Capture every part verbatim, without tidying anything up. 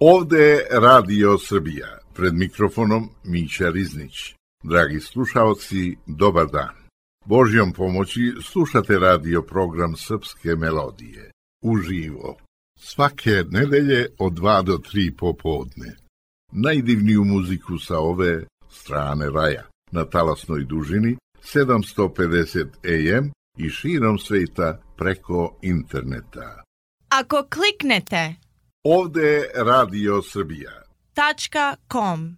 Ovde je Radio Srbija, pred mikrofonom Mića Riznić. Dragi slušaoci, dobar dan. Božjom pomoći slušate radio program Srpske melodije, uživo, svake nedelje od dva do tri popodne. Najdivniju muziku sa ove strane raja, na talasnoj dužini sedamsto pedeset A M i širom sveta preko interneta. Ako kliknete Ovde je Radio Srbija. Tačka com.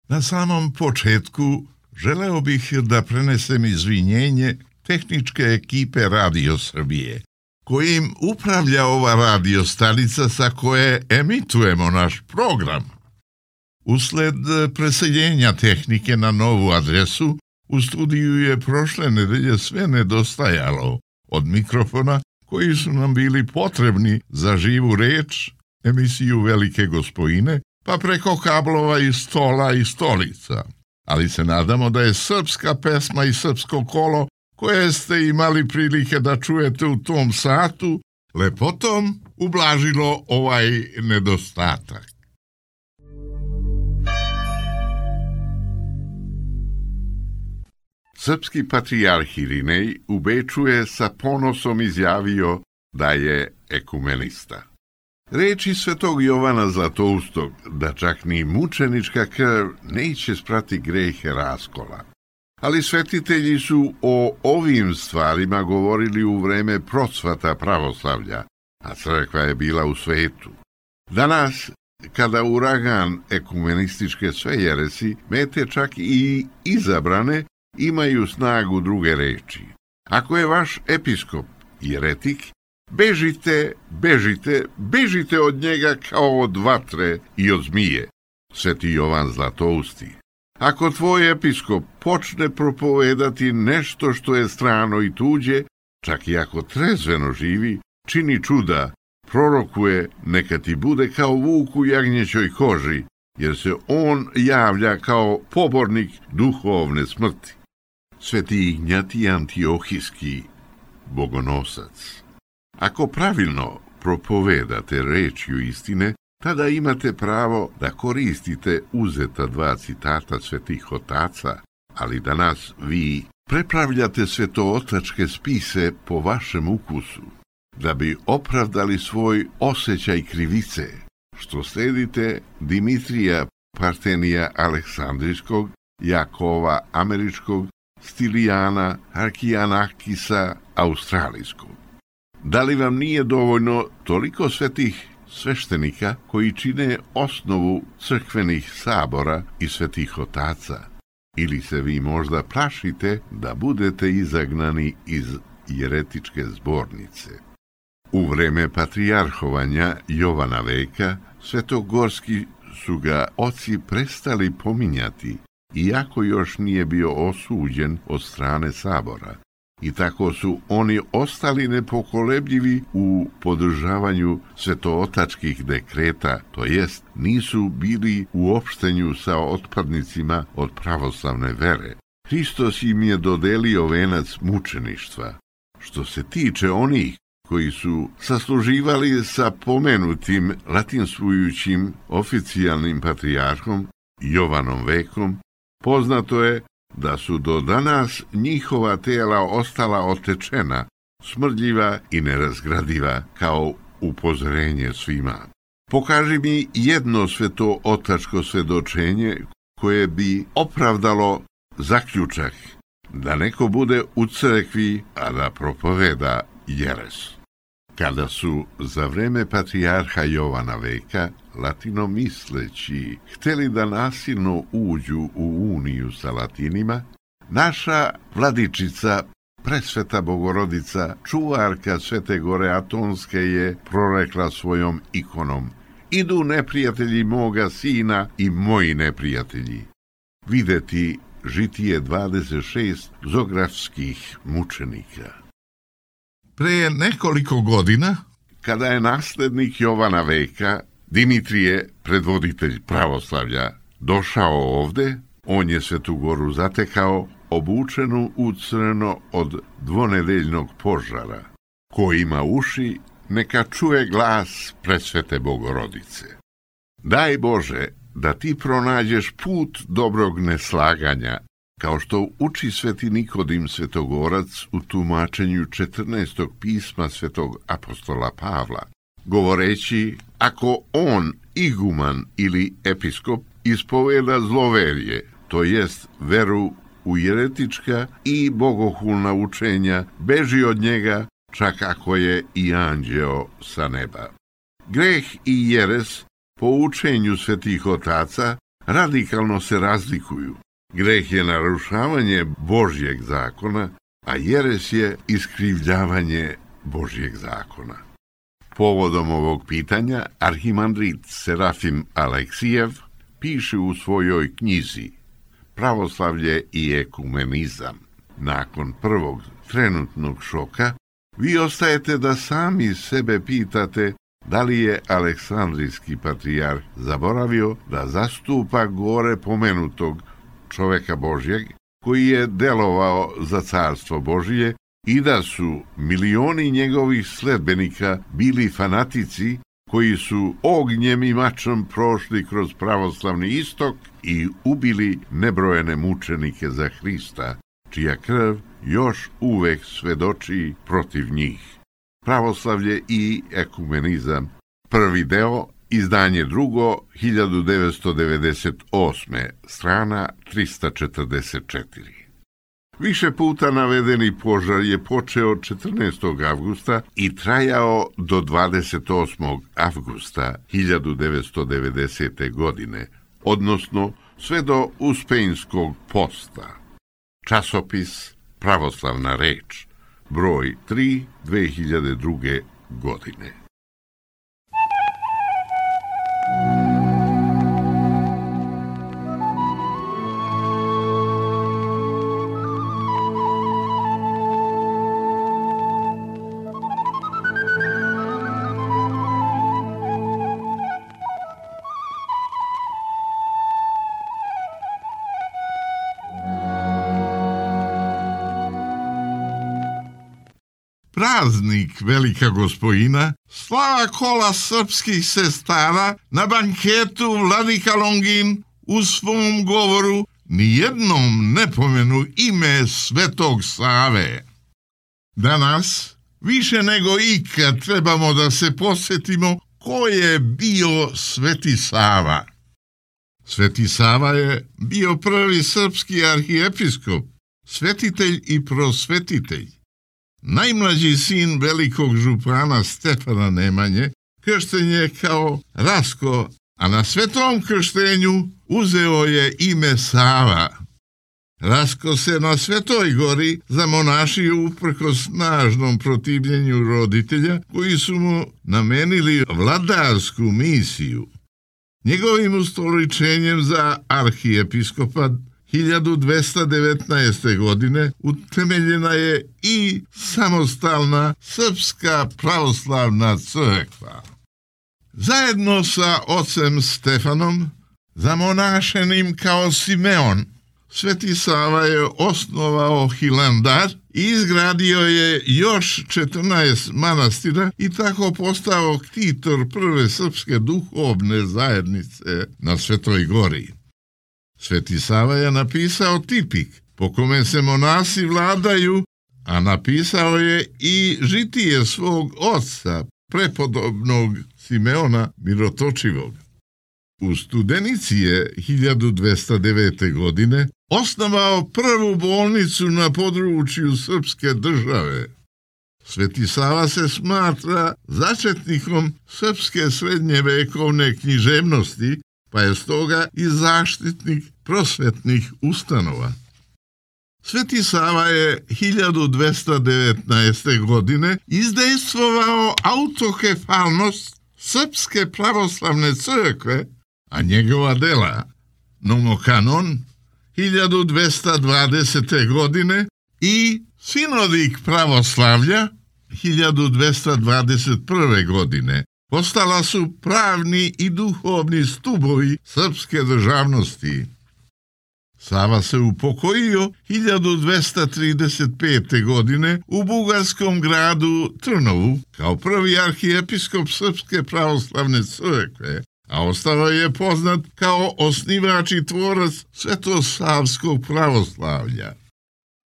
Na samom početku želeo bih da prenesem izvinjenje tehničke ekipe Radio Srbije, kojim upravlja ova radio stanica sa koje emitujemo naš program. Usled preseljenja tehnike na novu adresu, u studiju je prošle nedelje sve nedostajalo, od mikrofona koji su nam bili potrebni za živu reč, emisiju Velike gospojine, pa preko kablova i stola i stolica. Ali se nadamo da je srpska pesma i srpsko kolo, koje ste imali prilike da čujete u tom satu, lepotom ublažilo ovaj nedostatak. Srpski patrijarh Irinej u Beču je sa ponosom izjavio da je ekumenista. Reči svetog Jovana Zlatoustog, da čak ni mučenička krv neće sprati grehe raskola. Ali svetitelji su o ovim stvarima govorili u vreme procvata pravoslavlja, a crkva je bila u svetu. Danas, kada uragan ekumenističke svejeresi mete čak i izabrane, imaju snagu druge reči. Ako je vaš episkop jeretik, bežite, bežite, bežite od njega kao od vatre i od zmije. Sveti Jovan Zlatousti. Ako tvoj episkop počne propovedati nešto što je strano i tuđe, čak i ako trezveno živi, čini čuda, prorokuje, neka ti bude kao vuk u jagnjećoj koži, jer se on javlja kao pobornik duhovne smrti. Sveti Ignjatij Antiohijski, bogonosac. Ako pravilno propovedate rečju istine, tada imate pravo da koristite uzeta dva citata svetih otaca, ali danas vi prepravljate svetootačke spise po vašem ukusu, da bi opravdali svoj osjećaj krivice, što sledite Dimitrija Partenija Aleksandrijskog, Jakova Američkog, Stilijana Arkijanakisa Australijskog. Da li vam nije dovoljno toliko svetih sveštenika koji čine osnovu crkvenih sabora i svetih otaca? Ili se vi možda plašite da budete izagnani iz jeretičke zbornice? U vreme patrijarhovanja Jovana Veka, svetogorski su ga oci prestali pominjati, iako još nije bio osuđen od strane sabora. I tako su oni ostali nepokolebljivi u podržavanju svetootačkih dekreta, to jest nisu bili u opštenju sa otpadnicima od pravoslavne vere. Hristos im je dodelio venac mučeništva. Što se tiče onih koji su sasluživali sa pomenutim latinstvujućim oficijalnim patrijarhom Jovanom Vekom, poznato je da su do danas njihova tela ostala otečena, smrdljiva i nerazgradiva kao upozorenje svima. Pokaži mi jedno svetootačko svedočenje koje bi opravdalo zaključak da neko bude u crkvi, a da propoveda jeres. Kada su za vreme patrijarha Jovana Veka latinomisleći hteli da nasilno uđu u uniju sa Latinima, naša vladičica Presveta Bogorodica, čuvarka Svete Gore Atonske, je prorekla svojom ikonom: idu neprijatelji moga sina i moji neprijatelji. Videti Žitije dvadeset šest zografskih mučenika. Pre nekoliko godina, kada je naslednik Jovana Veka, Dimitrije, predvoditelj pravoslavlja, došao ovde, on je Svetu Goru zatekao obučenu u crno od dvonedeljnog požara. Ko ima uši, neka čuje glas Presvete Bogorodice. Daj Bože da ti pronađeš put dobrog neslaganja, kao što uči Sveti Nikodim Svetogorac u tumačenju četrnaestog pisma Svetog apostola Pavla, govoreći: ako on, iguman ili episkop, ispoveda zloverje, to jest veru u jeretička i bogohulna učenja, beži od njega, čak ako je i anđeo sa neba. Greh i jeres po učenju svetih otaca radikalno se razlikuju. Greh je narušavanje Božjeg zakona, a jeres je iskrivljavanje Božjeg zakona. Povodom ovog pitanja arhimandrit Serafim Aleksijev piše u svojoj knjizi Pravoslavlje i ekumenizam: nakon prvog trenutnog šoka, vi ostajete da sami sebe pitate da li je Aleksandrijski patrijarh zaboravio da zastupa gore pomenutog čoveka Božjeg, koji je delovao za carstvo Božije, i da su milioni njegovih sledbenika bili fanatici koji su ognjem i mačom prošli kroz pravoslavni istok i ubili nebrojene mučenike za Hrista, čija krv još uvek svedoči protiv njih. Pravoslavlje i ekumenizam, prvi deo, izdanje drugo, hiljadu devetsto devedeset osme, strana trista četrdeset četiri. Više puta navedeni požar je počeo četrnaestog avgusta i trajao do dvadeset osmog avgusta hiljadu devetsto devedesete. godine, odnosno sve do Uspejnskog posta. Časopis Pravoslavna reč, broj tri, dve hiljade druge. godine. Praznik Velika Gospojina, slava kola srpskih sestara, na banketu Vladika Longin u svom govoru nijednom ne pomenu ime Svetog Save. Danas, više nego ikad, trebamo da se posjetimo ko je bio Sveti Sava. Sveti Sava je bio prvi srpski arhiepiskop, svetitelj i prosvetitelj. Najmlađi sin velikog župana Stefana Nemanje kršten je kao Rasko, a na svetom krštenju uzeo je ime Sava. Rasko se na Svetoj Gori zamonašio uprkos snažnom protivljenju roditelja koji su mu namenili vladarsku misiju. Njegovim ustoličenjem za arhiepiskopa hiljadu dvesta devetnaeste. godine utemeljena je i samostalna Srpska pravoslavna crkva. Zajedno sa ocem Stefanom, zamonašenim kao Simeon, Sveti Sava je osnovao Hilandar i izgradio je još četrnaest manastira i tako postao ktitor prve srpske duhovne zajednice na Svetoj Gori. Sveti Sava je napisao tipik po kome se monasi vladaju, a napisao je i žitije svog oca, prepodobnog Simeona Mirotočivog. U Studenici je hiljadu dvesta devete. godine osnovao prvu bolnicu na području srpske države. Sveti Sava se smatra začetnikom srpske srednjevekovne književnosti, pa je stoga i zaštitnik prosvetnih ustanova. Sveti Sava je hiljadu dvesta devetnaeste. godine izdejstvovao autokefalnost Srpske pravoslavne crkve, a njegova dela Nomokanon hiljadu dvesta dvadesete. godine i Sinodik pravoslavlja hiljadu dvesta dvadeset prve. godine postala su pravni i duhovni stubovi srpske državnosti. Sava se upokojio hiljadu dvesta trideset pete. godine u bugarskom gradu Trnovu kao prvi arhijepiskop Srpske pravoslavne crkve, a ostao je poznat kao osnivač i tvorac svetosavskog pravoslavlja.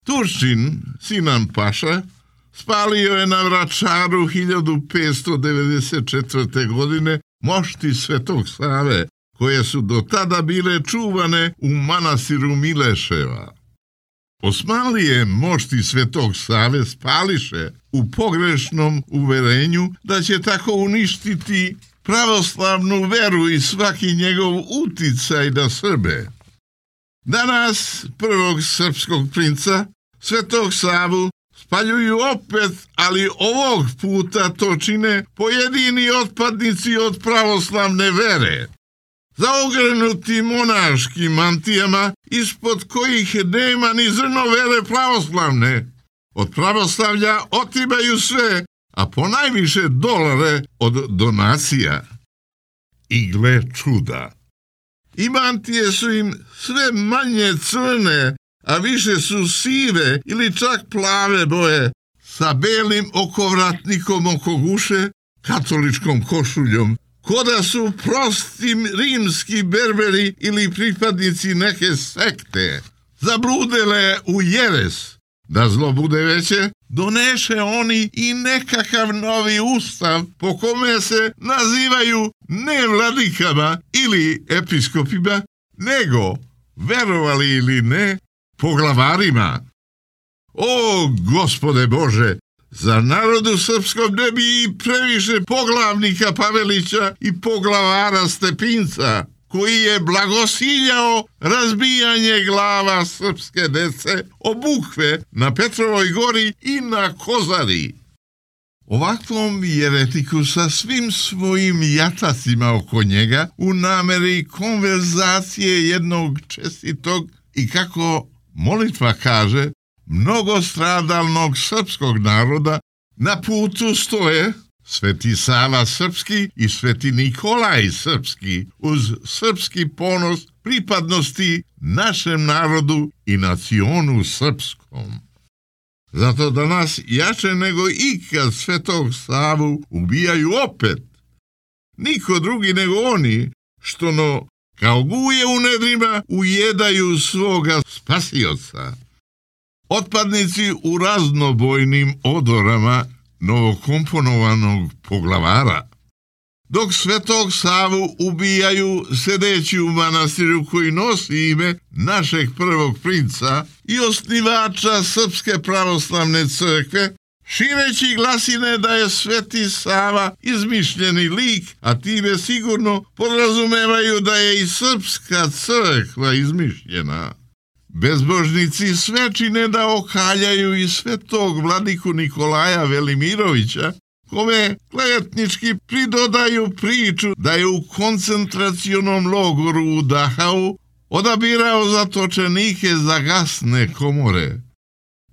Turčin, Sinan Paša, spalio je na Vračaru hiljadu petsto devedeset četvrte. godine mošti Svetog Save, koje su do tada bile čuvane u manastiru Mileševa. Osmanlije mošti Svetog Save spališe u pogrešnom uverenju da će tako uništiti pravoslavnu veru i svaki njegov uticaj na Srbe. Danas prvog srpskog princa, Svetog Savu, spaljuju opet, ali ovog puta to čine pojedini otpadnici od pravoslavne vere, zaogrenuti monaškim mantijama, ispod kojih nema ni zrno vere pravoslavne. Od pravoslavlja otimaju sve, a ponajviše dolare od donacija. I gle čuda, i mantije su im sve manje crne, a više su sive ili čak plave boje, sa belim okovratnikom oko guše, katoličkom košuljom, koda su prosti rimski berberi ili pripadnici neke sekte. Zabludele u jeres. Da zlo bude veće, doneše oni i nekakav novi ustav po kome se nazivaju ne vladikama ili episkopima, nego, verovali ili ne, poglavarima. O, Gospode Bože, za narodu srpskom ne bi i previše poglavnika Pavelića i poglavara Stepinca, koji je blagosiljao razbijanje glava srpske dece o bukve na Petrovoj gori i na Kozari. Ovakvom jeretiku sa svim svojim jatacima oko njega u nameri konverzacije jednog čestitog i, kako molitva kaže, mnogostradalnog srpskog naroda na putu stoje Sveti Sava Srpski i Sveti Nikolaj Srpski, uz srpski ponos pripadnosti našem narodu i nacionu srpskom. Zato danas jače nego ikad Svetog Savu ubijaju opet. Niko drugi nego oni, što no, kao guje u nedrima, ujedaju svoga spasioca. Otpadnici u raznobojnim odorama novokomponovanog poglavara, dok Svetog Savu ubijaju sedeći u manastiru koji nosi ime našeg prvog princa i osnivača Srpske pravoslavne crkve, šireći glasine da je Sveti Sava izmišljeni lik, a time sigurno podrazumevaju da je i Srpska crkva izmišljena. Bezbožnici sve čine da okaljaju i svetog vladiku Nikolaja Velimirovića, kome klevetnički pridodaju priču da je u koncentracionom logoru u Dachau odabirao zatočenike za gasne komore.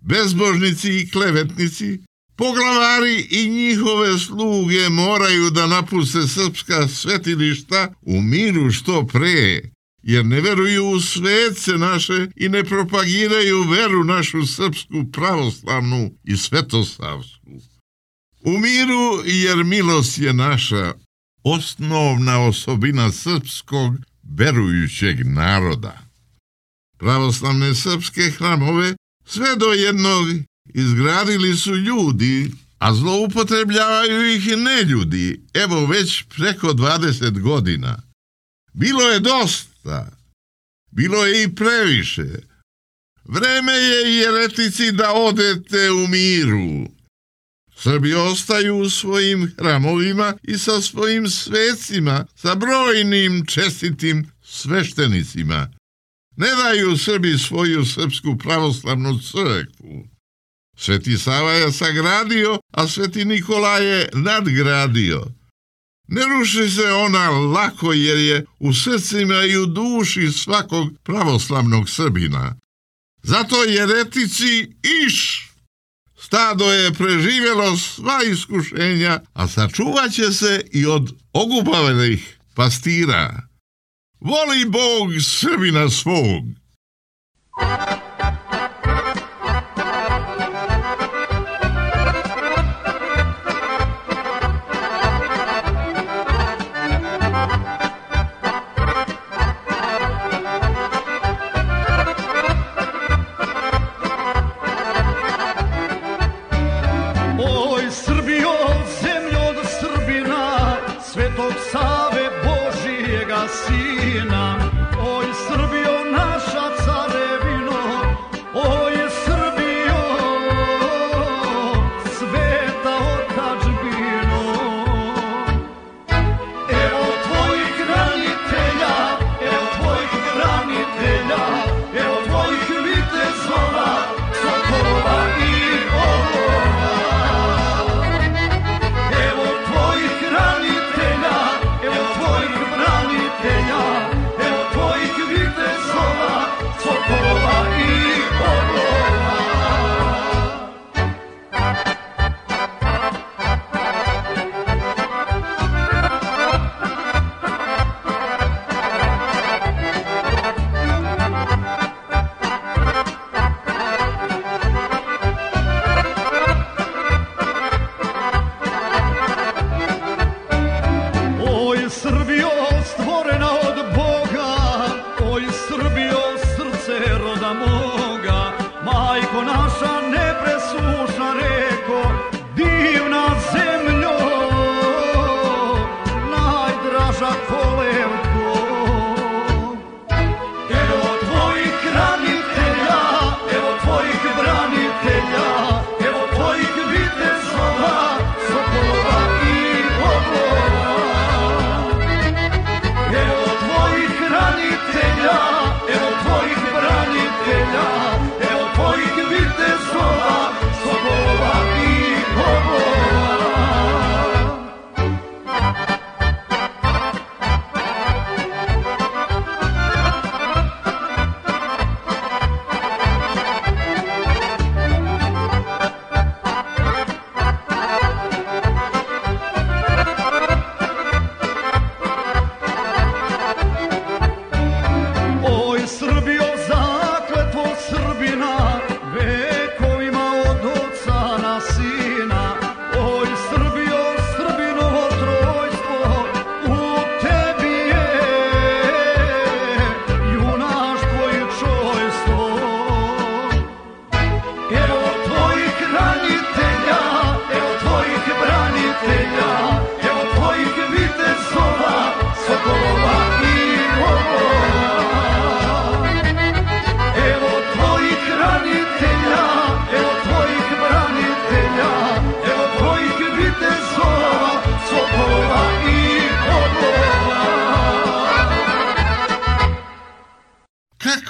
Bezbožnici i klevetnici, poglavari i njihove sluge moraju da napuste srpska svetilišta u miru što pre, jer ne veruju u svece naše i ne propagiraju veru našu srpsku pravoslavnu i svetosavsku. U miru, jer milost je naša osnovna osobina srpskog verujućeg naroda. Pravoslavne srpske hramove sve do jednog izgradili su ljudi a zloupotrebljavaju ih neljudi, evo već preko dvadeset godina. Bilo je dosta, bilo je i previše. Vreme je i jeretici da odete u miru. Srbi ostaju u svojim hramovima i sa svojim svecima, sa brojnim čestitim sveštenicima. Ne daju Srbi svoju srpsku pravoslavnu crkvu. Sveti Sava je sagradio, a Sveti Nikola je nadgradio. Ne ruši se ona lako jer je u srcima i u duši svakog pravoslavnog Srbina. Zato jeretici iš. Stado je preživjelo sva iskušenja, a sačuvat će se i od ogubavljenih pastira. Voli Bog Srbina svog.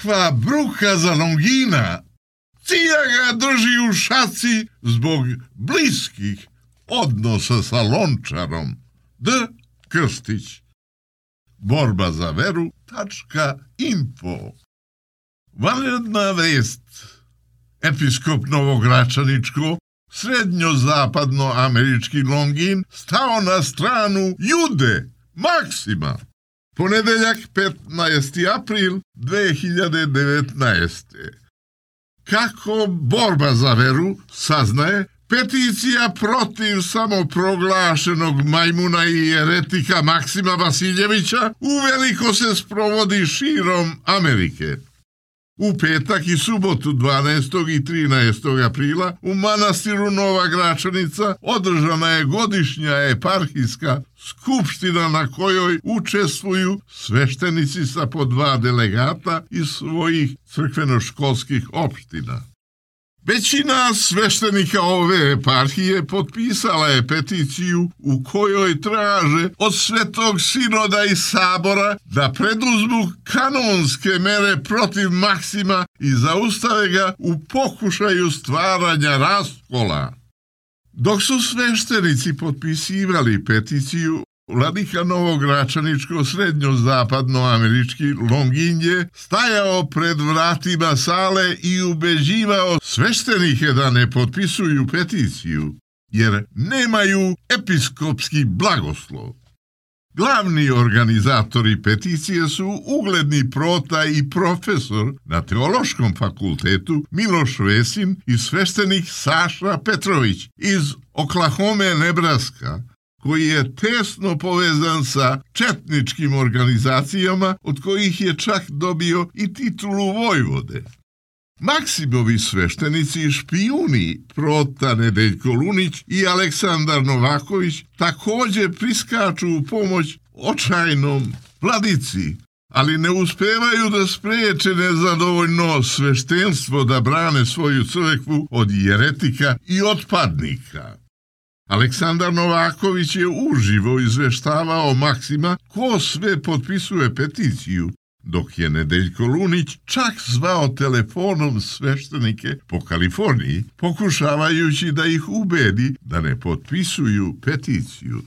Kakva bruka za Longina, Cija ga drži u šaci zbog bliskih odnosa sa Lončarom. D. Krstić. Borba za veru .info. Vanredna vest. Episkop Novogračaničko, srednjozapadnoamerički Longin, stao na stranu Jude Maksima. Ponedeljak petnaesti april dve hiljade devetnaeste. Kako borba za veru saznaje, peticija protiv samoproglašenog majmuna i jeretika Maksima Vasiljevića uveliko se sprovodi širom Amerike. U petak i subotu dvanaestog i trinaestog aprila u manastiru Nova Gračanica održana je godišnja eparhijska skupština na kojoj učestvuju sveštenici sa po dva delegata iz svojih crkveno-školskih opština. Većina sveštenika ove eparhije potpisala je peticiju u kojoj traže od Svetog sinoda i sabora da preduzmu kanonske mere protiv Maksima i zaustave ga u pokušaju stvaranja raskola. Dok su sveštenici potpisivali peticiju, vladika novogračaničko-srednjozapadnoamerički Longin je stajao pred vratima sale i ubeđivao sveštenike da ne potpisuju peticiju, jer nemaju episkopski blagoslov. Glavni organizatori peticije su ugledni prota i profesor na Teološkom fakultetu Miloš Vesin i sveštenik Saša Petrović iz Oklahome, Nebraska, koji je tesno povezan sa četničkim organizacijama, od kojih je čak dobio i titulu vojvode. Maksimovi sveštenici i špijuni prota Nedeljko Lunić i Aleksandar Novaković također priskaču u pomoć očajnom vladici, ali ne uspevaju da spreče nezadovoljno sveštenstvo da brane svoju crkvu od jeretika i otpadnika. Aleksandar Novaković je uživo izveštavao Maksima ko sve potpisuje peticiju, dok je Nedeljko Lunić čak zvao telefonom sveštenike po Kaliforniji, pokušavajući da ih ubedi da ne potpisuju peticiju.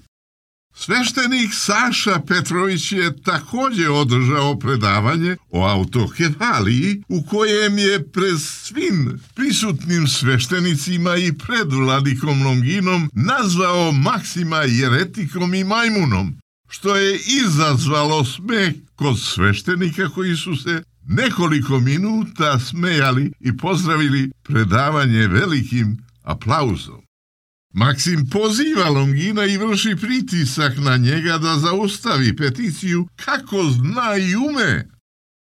Sveštenik Saša Petrović je također održao predavanje o autokefaliji u kojem je pred svim prisutnim sveštenicima i pred vladikom Longinom nazvao Maksima jeretikom i majmunom, što je izazvalo smeh kod sveštenika koji su se nekoliko minuta smejali i pozdravili predavanje velikim aplauzom. Maksim poziva Longina i vrši pritisak na njega da zaustavi peticiju kako zna i ume.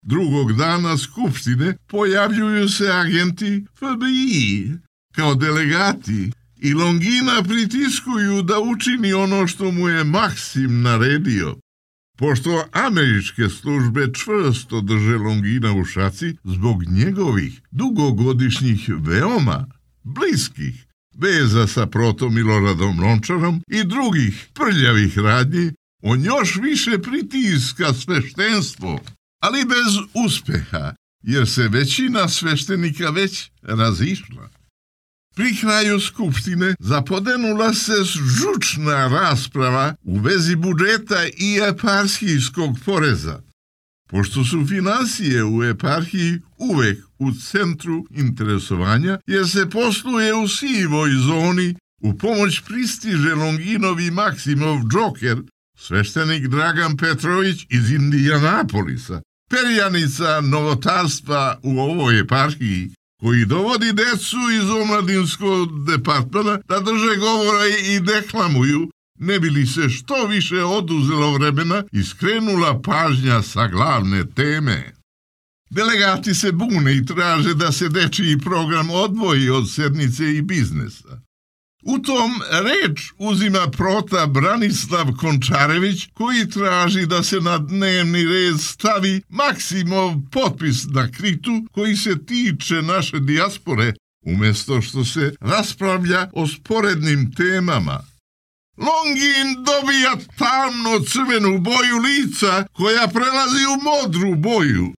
Drugog dana skupštine pojavljuju se agenti F B I kao delegati i Longina pritiskuju da učini ono što mu je Maksim naredio. Pošto američke službe čvrsto drže Longina u šaci zbog njegovih dugogodišnjih veoma bliskih veza sa protom Miloradom Lončarom i drugih prljavih radnji, on još više pritiska sveštenstvo, ali bez uspeha, jer se većina sveštenika već razišla. Pri kraju skupštine zapodenula se žučna rasprava u vezi budžeta i eparhijskog poreza. Pošto su finansije u eparhiji uvek u centru interesovanja, jer se posluje u sivoj zoni, u pomoć pristiže Longinovi Maksimov džoker, sveštenik Dragan Petrović iz Indijanapolisa, perjanica novotarstva u ovoj eparhiji, koji dovodi decu iz omladinskog departmana da drže govora i deklamuju, ne bi li se što više oduzelo vremena i skrenula pažnja sa glavne teme. Delegati se bune i traže da se dečiji program odvoji od sednice i biznesa. U tom reč uzima prota Branislav Končarević, koji traži da se na dnevni red stavi Maksimov potpis na kritu koji se tiče naše dijaspore, umjesto što se raspravlja o sporednim temama. Longin dobija tamno crvenu boju lica koja prelazi u modru boju.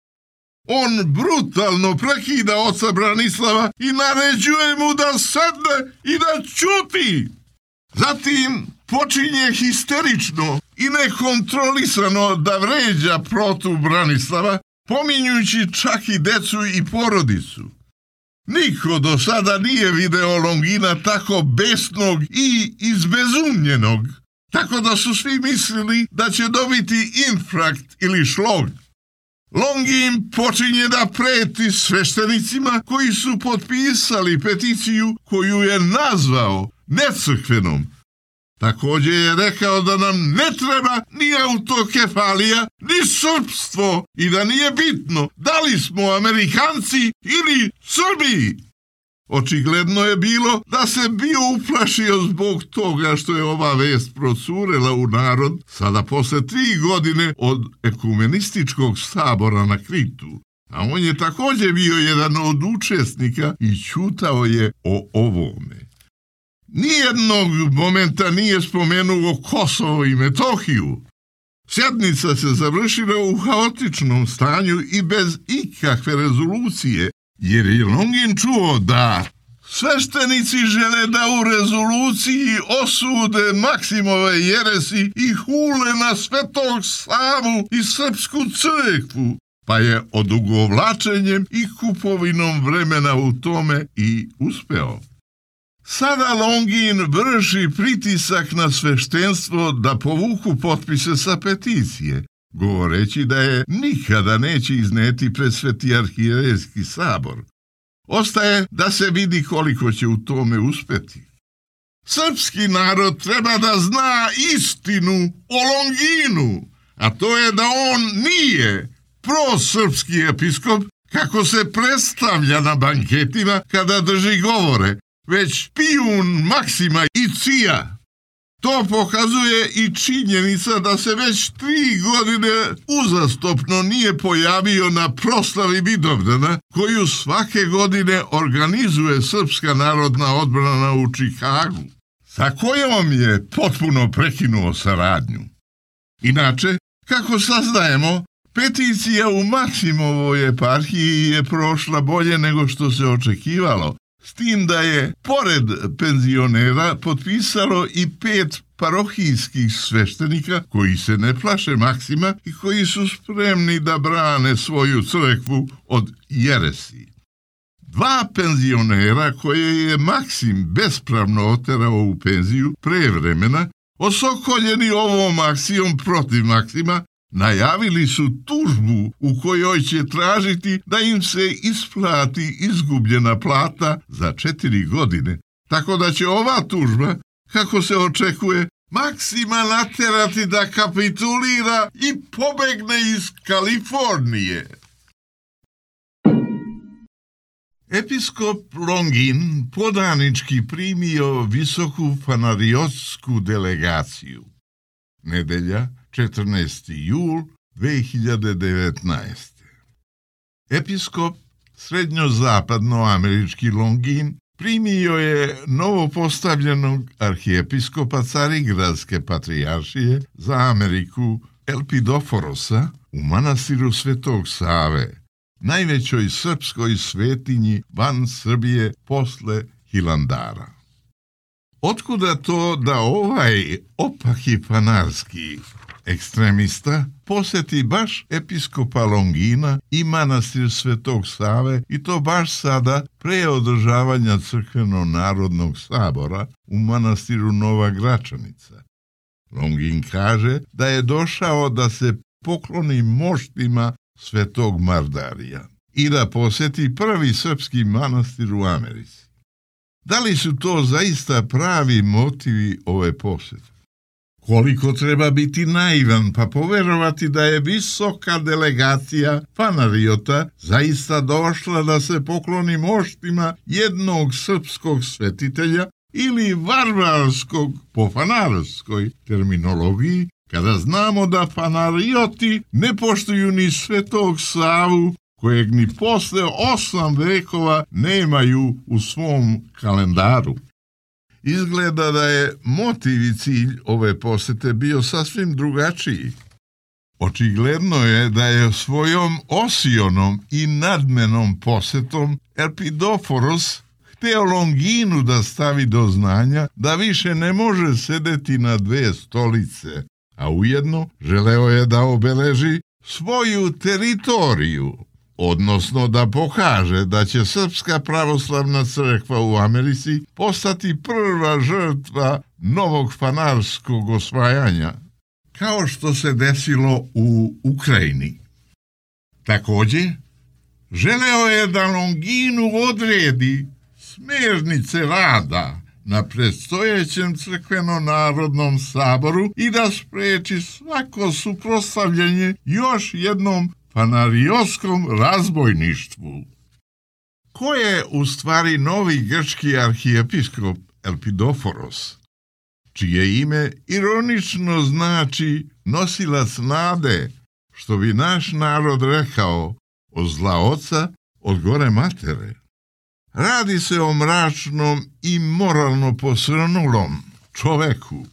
On brutalno prekida oca Branislava i naređuje mu da sedne i da ćuti. Zatim počinje histerično i nekontrolisano da vređa protu Branislava, pominjujući čak i decu i porodicu. Niko do sada nije video Longina tako besnog i izbezumljenog, tako da su svi mislili da će dobiti infarkt ili šlog. Longin počinje da preti sveštenicima koji su potpisali peticiju koju je nazvao necrkvenom. Također je rekao da nam ne treba ni autokefalija, ni srpstvo i da nije bitno da li smo Amerikanci ili Srbi. Očigledno je bilo da se bio uplašio zbog toga što je ova vest procurela u narod sada posle tri godine od ekumenističkog sabora na Kritu, a on je također bio jedan od učesnika i ćutao je o ovome. Nijednog momenta nije spomenuo Kosovo i Metohiju. Sjednica se završila u haotičnom stanju i bez ikakve rezolucije, jer je Longin čuo da sveštenici žele da u rezoluciji osude Maksimove jeresi i hule na Svetog Savu i Srpsku crkvu, pa je odugovlačenjem i kupovinom vremena u tome i uspeo. Sada Longin vrši pritisak na sveštenstvo da povuku potpise sa peticije, govoreći da je nikada neće izneti pred Sveti arhijerejski sabor. Ostaje da se vidi koliko će u tome uspeti. Srpski narod treba da zna istinu o Longinu, a to je da on nije prosrpski episkop kako se predstavlja na banketima kada drži govore, već pijun Maksima i Cija. To pokazuje i činjenica da se već tri godine uzastopno nije pojavio na proslavi Vidovdana, koju svake godine organizuje Srpska narodna odbrana u Čikagu, sa kojom je potpuno prekinuo saradnju. Inače, kako saznajemo, peticija u Maksimovoj eparhiji je prošla bolje nego što se očekivalo, s tim da je, pored penzionera, potpisalo i pet parohijskih sveštenika koji se ne plaše Maksima i koji su spremni da brane svoju crkvu od jeresi. Dva penzionera koje je Maksim bespravno oterao u penziju pre vremena, osokoljeni ovom akcijom protiv Maksima, najavili su tužbu u kojoj će tražiti da im se isplati izgubljena plata za četiri godine, tako da će ova tužba, kako se očekuje, Maksima naterati da kapitulira i pobegne iz Kalifornije. Episkop Longin podanički primio visoku fanariotsku delegaciju. Nedelja, četrnaesti jul dve hiljade devetnaeste. Episkop srednjozapadnoamerički Longin primio je novopostavljenog arhijepiskopa Carigradske patrijaršije za Ameriku Elpidoforosa u manastiru Svetog Save, najvećoj srpskoj svetinji van Srbije posle Hilandara. Otkuda to da ovaj opaki fanarski ekstremista poseti baš episkopa Longina i manastir Svetog Save, i to baš sada pre održavanja crkveno-narodnog sabora u manastiru Nova Gračanica? Longin kaže da je došao da se pokloni moštima Svetog Mardarija i da poseti prvi srpski manastir u Americi. Da li su to zaista pravi motivi ove posete? Koliko treba biti naivan pa poverovati da je visoka delegacija fanariota zaista došla da se pokloni moštima jednog srpskog svetitelja ili varvarskog po fanarskoj terminologiji, kada znamo da fanarioti ne poštuju ni Svetog Savu, kojeg ni posle osam vekova nemaju u svom kalendaru. Izgleda da je motiv i cilj ove posete bio sasvim drugačiji. Očigledno je da je svojom osionom i nadmenom posetom Elpidoforos hteo Longinu da stavi do znanja da više ne može sedeti na dve stolice, a ujedno želeo je da obeleži svoju teritoriju, odnosno da pokaže da će Srpska pravoslavna crkva u Americi postati prva žrtva novog fanarskog osvajanja, kao što se desilo u Ukrajini. Također, želeo je da Longinu odredi smernice rada na predstojećem crkveno-narodnom saboru i da spreči svako suprotstavljanje još jednom fanarioskom razbojništvu. Ko je u stvari novi grčki arhijepiskop Elpidoforos, čije ime ironično znači nosilac nade, što bi naš narod rekao od zla oca, od gore matere? Radi se o mračnom i moralno posrnulom čoveku,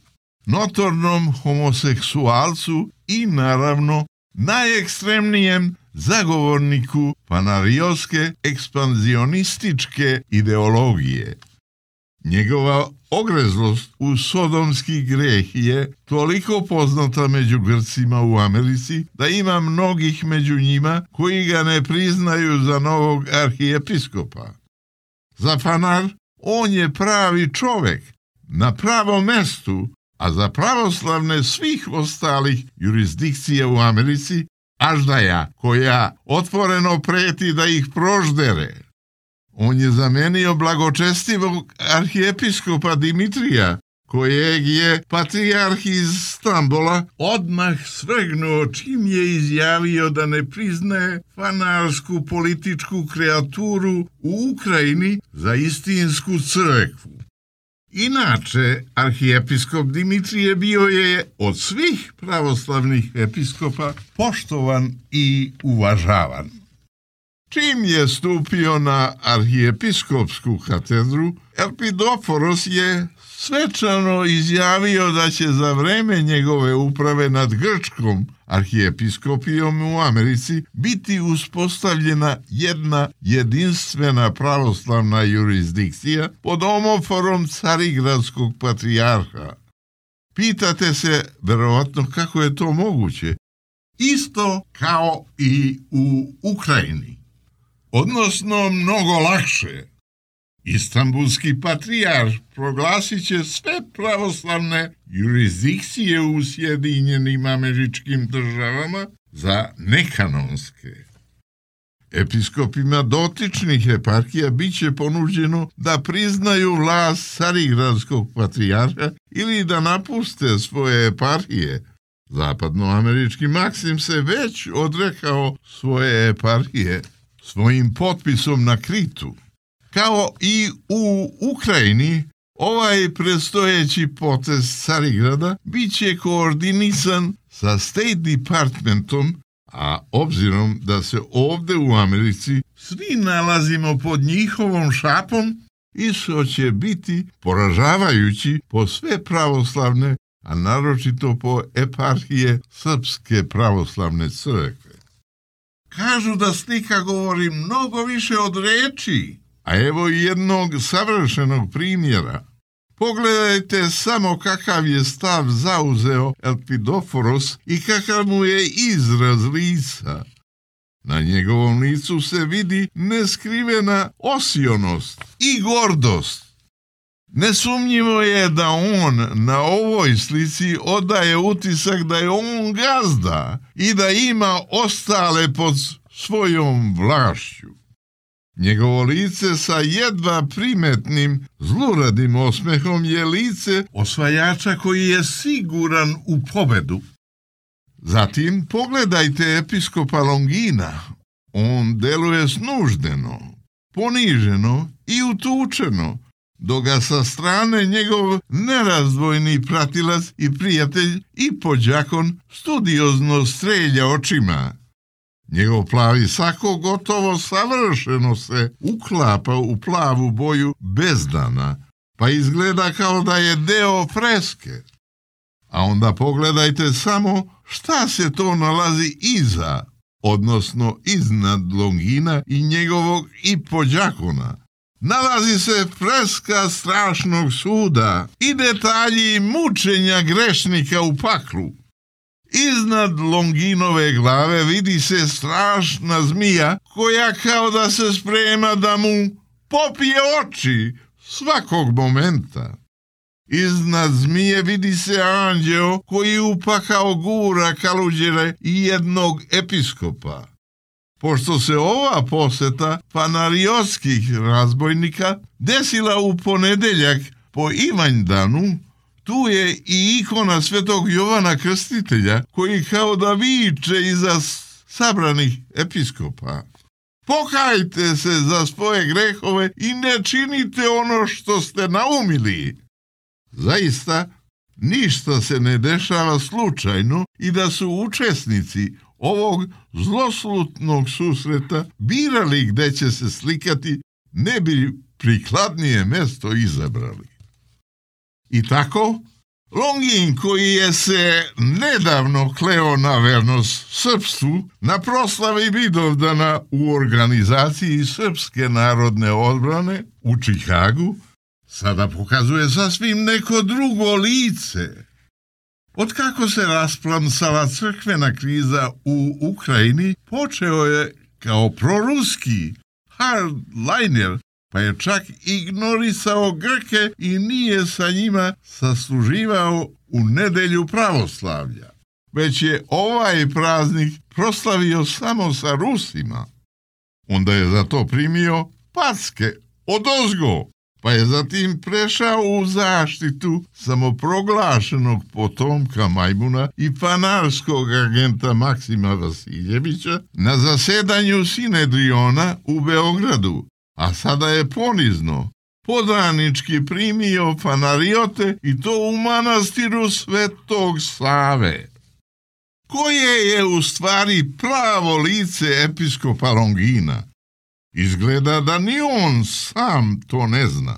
notornom homoseksualcu i naravno najekstremnijem zagovorniku fanarioske ekspanzionističke ideologije. Njegova ogrezlost u sodomski greh je toliko poznata među Grcima u Americi da ima mnogih među njima koji ga ne priznaju za novog arhijepiskopa. Za fanar on je pravi čovek na pravom mestu, a za pravoslavne svih ostalih jurisdikcija u Americi aždaja koja otvoreno preti da ih proždere. On je zamenio blagočestivog arhijepiskopa Dimitrija, kojeg je patrijarh iz Stambola odmah svrgnuo čim je izjavio da ne priznaje fanarsku političku kreaturu u Ukrajini za istinsku crkvu. Inače, arhijepiskop Dimitrije bio je od svih pravoslavnih episkopa poštovan i uvažavan. Čim je stupio na arhijepiskopsku katedru, Elpidoforos je svečano izjavio da će za vreme njegove uprave nad grčkom arhijepiskopijom u Americi biti uspostavljena jedna jedinstvena pravoslavna jurisdikcija pod omoforom carigradskog patrijarha. Pitate se verovatno kako je to moguće? Isto kao i u Ukrajini. Odnosno mnogo lakše. Istanbulski patrijarh proglasit će sve pravoslavne jurisdikcije u Sjedinjenim Američkim Državama za nekanonske. Episkopima dotičnih eparhija bit će ponuđeno da priznaju vlast carigradskog patrijarha ili da napuste svoje eparhije. Zapadnoamerički Maksim se već odrekao svoje eparhije svojim potpisom na Kritu. Kao i u Ukrajini, ovaj predstojeći potez Carigrada bit će koordinisan sa State Departmentom, a obzirom da se ovde u Americi svi nalazimo pod njihovom šapom, isto će biti poražavajući po sve pravoslavne, a naročito po eparhije Srpske pravoslavne crkve. Kažu da slika govori mnogo više od reči, a evo jednog savršenog primjera. Pogledajte samo kakav je stav zauzeo Elpidoforos i kakav mu je izraz lica. Na njegovom licu se vidi neskrivena osionost i gordost. Nesumnjivo je da on na ovoj slici odaje utisak da je on gazda i da ima ostale pod svojom vlašću. Njegovo lice sa jedva primetnim zluradim osmehom je lice osvajača koji je siguran u pobedu. Zatim pogledajte episkopa Longina. On deluje snuždeno, poniženo i utučeno, dok ga sa strane njegov nerazdvojni pratilac i prijatelj i pođakon studiozno strelja očima. Njegov plavi sako gotovo savršeno se uklapa u plavu boju bezdana, pa izgleda kao da je deo freske. A onda pogledajte samo šta se to nalazi iza, odnosno iznad Longina i njegovog i pođakona. Nalazi se freska strašnog suda i detalji mučenja grešnika u paklu. Iznad Longinove glave vidi se strašna zmija koja kao da se sprema da mu popije oči svakog momenta. Iznad zmije vidi se anđeo koji upakao gura kaluđere i jednog episkopa. Pošto se ova poseta fanariotskih razbojnika desila u ponedeljak po Ivanjdanu, tu je i ikona svetog Jovana Krstitelja, koji kao da viče iza sabranih episkopa. Pokajte se za svoje grehove i ne činite ono što ste naumili. Zaista, ništa se ne dešava slučajno i da su učesnici ovog zloslutnog susreta birali gde će se slikati, ne bi prikladnije mesto izabrali. I tako, Longin, koji je se nedavno kleo na vernost srpstvu, na proslavi Vidovdana u organizaciji Srpske narodne odbrane u Čikagu, sada pokazuje sasvim neko drugo lice. Otkako se rasplamsala crkvena kriza u Ukrajini, počeo je kao proruski hardliner, pa je čak ignorisao Grke i nije sa njima sasluživao u nedelju pravoslavlja. Već je ovaj praznik proslavio samo sa Rusima. Onda je za to primio packe odozgo, pa je zatim prešao u zaštitu samoproglašenog potomka Majmuna i panarskog agenta Maksima Vasiljevića na zasedanju Sinedriona u Beogradu, a sada je ponizno, podanički primio fanariote i to u manastiru Svetog Save. Koje je u stvari pravo lice episkopa Longina? Izgleda da ni on sam to ne zna.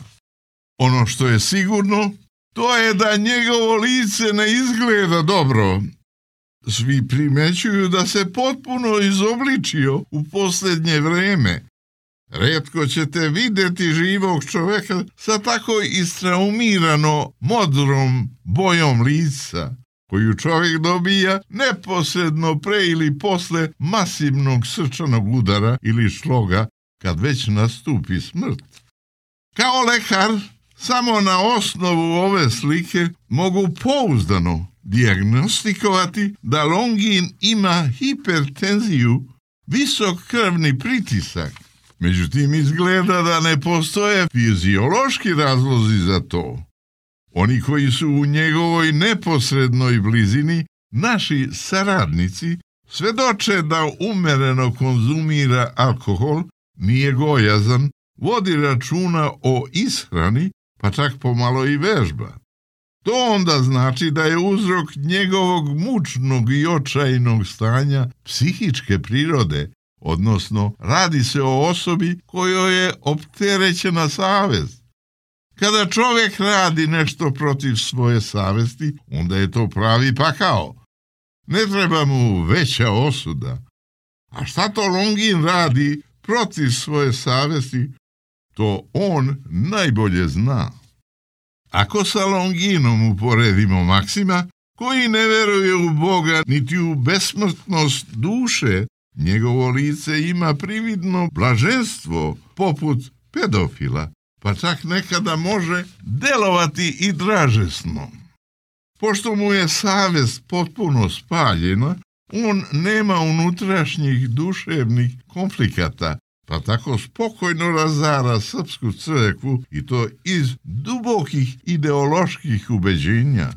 Ono što je sigurno, to je da njegovo lice ne izgleda dobro. Svi primećuju da se potpuno izobličio u posljednje vreme. Retko ćete vidjeti živog čoveka sa tako istraumirano modrom bojom lica, koju čovjek dobija neposredno pre ili posle masivnog srčanog udara ili šloga, kad već nastupi smrt. Kao lekar, samo na osnovu ove slike mogu pouzdano dijagnostikovati da Longin ima hipertenziju, visok krvni pritisak. Međutim, izgleda da ne postoje fiziološki razlozi za to. Oni koji su u njegovoj neposrednoj blizini, naši saradnici, svedoče da umereno konzumira alkohol, nije gojazan, vodi računa o ishrani, pa čak pomalo i vežba. To onda znači da je uzrok njegovog mučnog i očajnog stanja psihičke prirode, odnosno radi se o osobi kojoj je opterećena savest. Kada čovjek radi nešto protiv svoje savesti, onda je to pravi pakao. Ne treba mu veća osuda. A šta to Longin radi protiv svoje savesti, to on najbolje zna. Ako sa Longinom uporedimo Maksima, koji ne veruje u Boga niti u besmrtnost duše, njegovo lice ima prividno blaženstvo poput pedofila, pa čak nekada može delovati i dražesno. Pošto mu je savest potpuno spaljena, on nema unutrašnjih duševnih konflikata, pa tako spokojno razara srpsku crkvu i to iz dubokih ideoloških ubeđenja.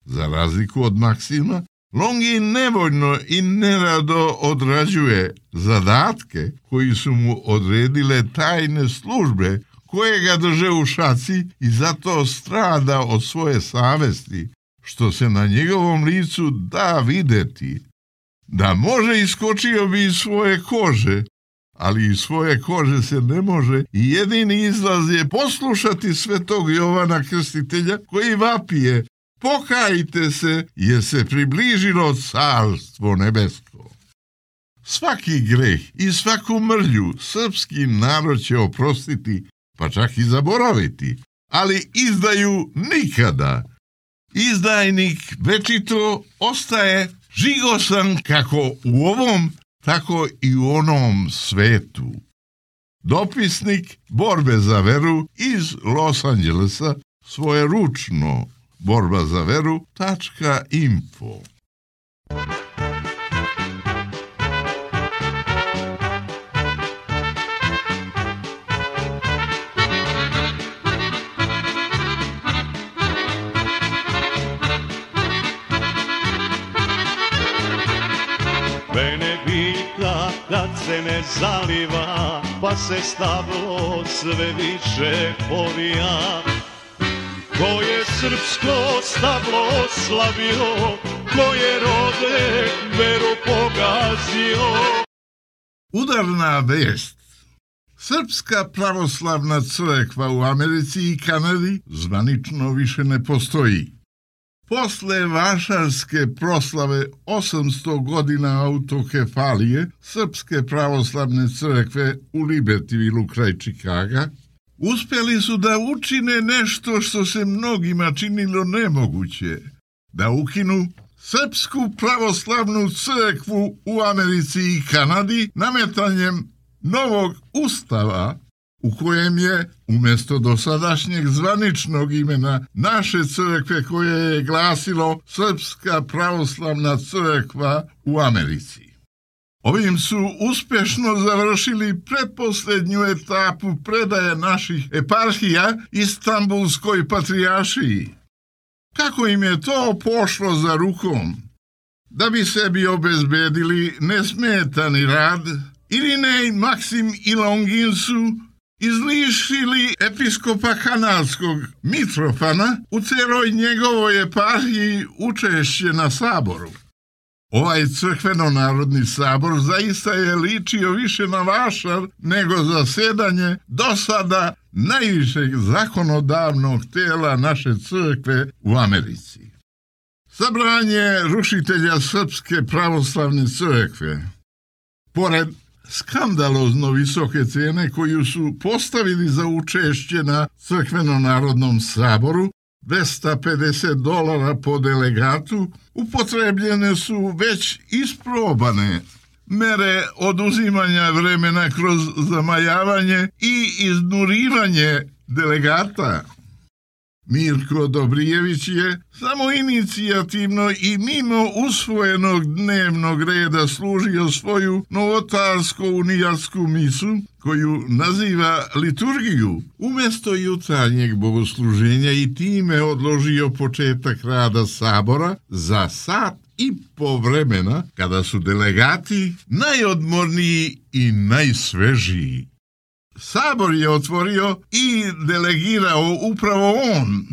Za razliku od Maksima, Longin nevoljno i nerado odrađuje zadatke koji su mu odredile tajne službe koje ga drže u šaci i zato strada od svoje savesti, što se na njegovom licu da videti. Da može iskočio bi iz svoje kože, ali iz svoje kože se ne može i jedini izlaz je poslušati svetog Jovana Krstitelja koji vapije: pokajte se, jer se približilo carstvo nebesko. Svaki greh i svaku mrlju srpski narod će oprostiti, pa čak i zaboraviti, ali izdaju nikada. Izdajnik večito ostaje žigosan kako u ovom, tako i u onom svetu. Dopisnik borbe za veru iz Los Angelesa, svoje ručno borba za veru tačka info. se ne zaliva, pa se stablo sve više povija. Ko je srpsko stablo slavio, ko je rode veru pogazio. Udarna vest. Srpska pravoslavna crkva u Americi i Kanadi zvanično više ne postoji. Posle vašarske proslave osamsto godina autokefalije Srpske pravoslavne crkve u Libertyvilu kraj Čikaga, uspjeli su da učine nešto što se mnogima činilo nemoguće, da ukinu Srpsku pravoslavnu crkvu u Americi i Kanadi nametanjem novog ustava u kojem je, umjesto dosadašnjeg zvaničnog imena naše crkve koje je glasilo Srpska pravoslavna crkva u Americi. Ovim su uspješno završili pretposljednju etapu predaje naših eparhija Istanbulskoj patrijaršiji. Kako im je to pošlo za rukom? Da bi sebi obezbedili nesmetani rad, Irinej, Maksim i Longin su izlišili episkopa kanadskog Mitrofana u celoj njegovoj eparhiji učešće na saboru. Ovaj crkveno-narodni sabor zaista je ličio više na vašar nego zasedanje do sada najvišeg zakonodavnog tela naše crkve u Americi. Sabranje rušitelja Srpske pravoslavne crkve, pored skandalozno visoke cene koju su postavili za učešće na crkveno-narodnom saboru, dvesta pedeset dolara po delegatu, upotrebljene su već isprobane mere oduzimanja vremena kroz zamajavanje i iznurivanje delegata. Mirko Dobrijević je samo inicijativno i mimo usvojenog dnevnog reda služio svoju novotarsko-unijatsku misu, koju naziva liturgiju, umjesto jutarnjeg bogosluženja i time odložio početak rada sabora za sat i po vremena, kada su delegati najodmorniji i najsvežiji. Sabor je otvorio i delegirao upravo on,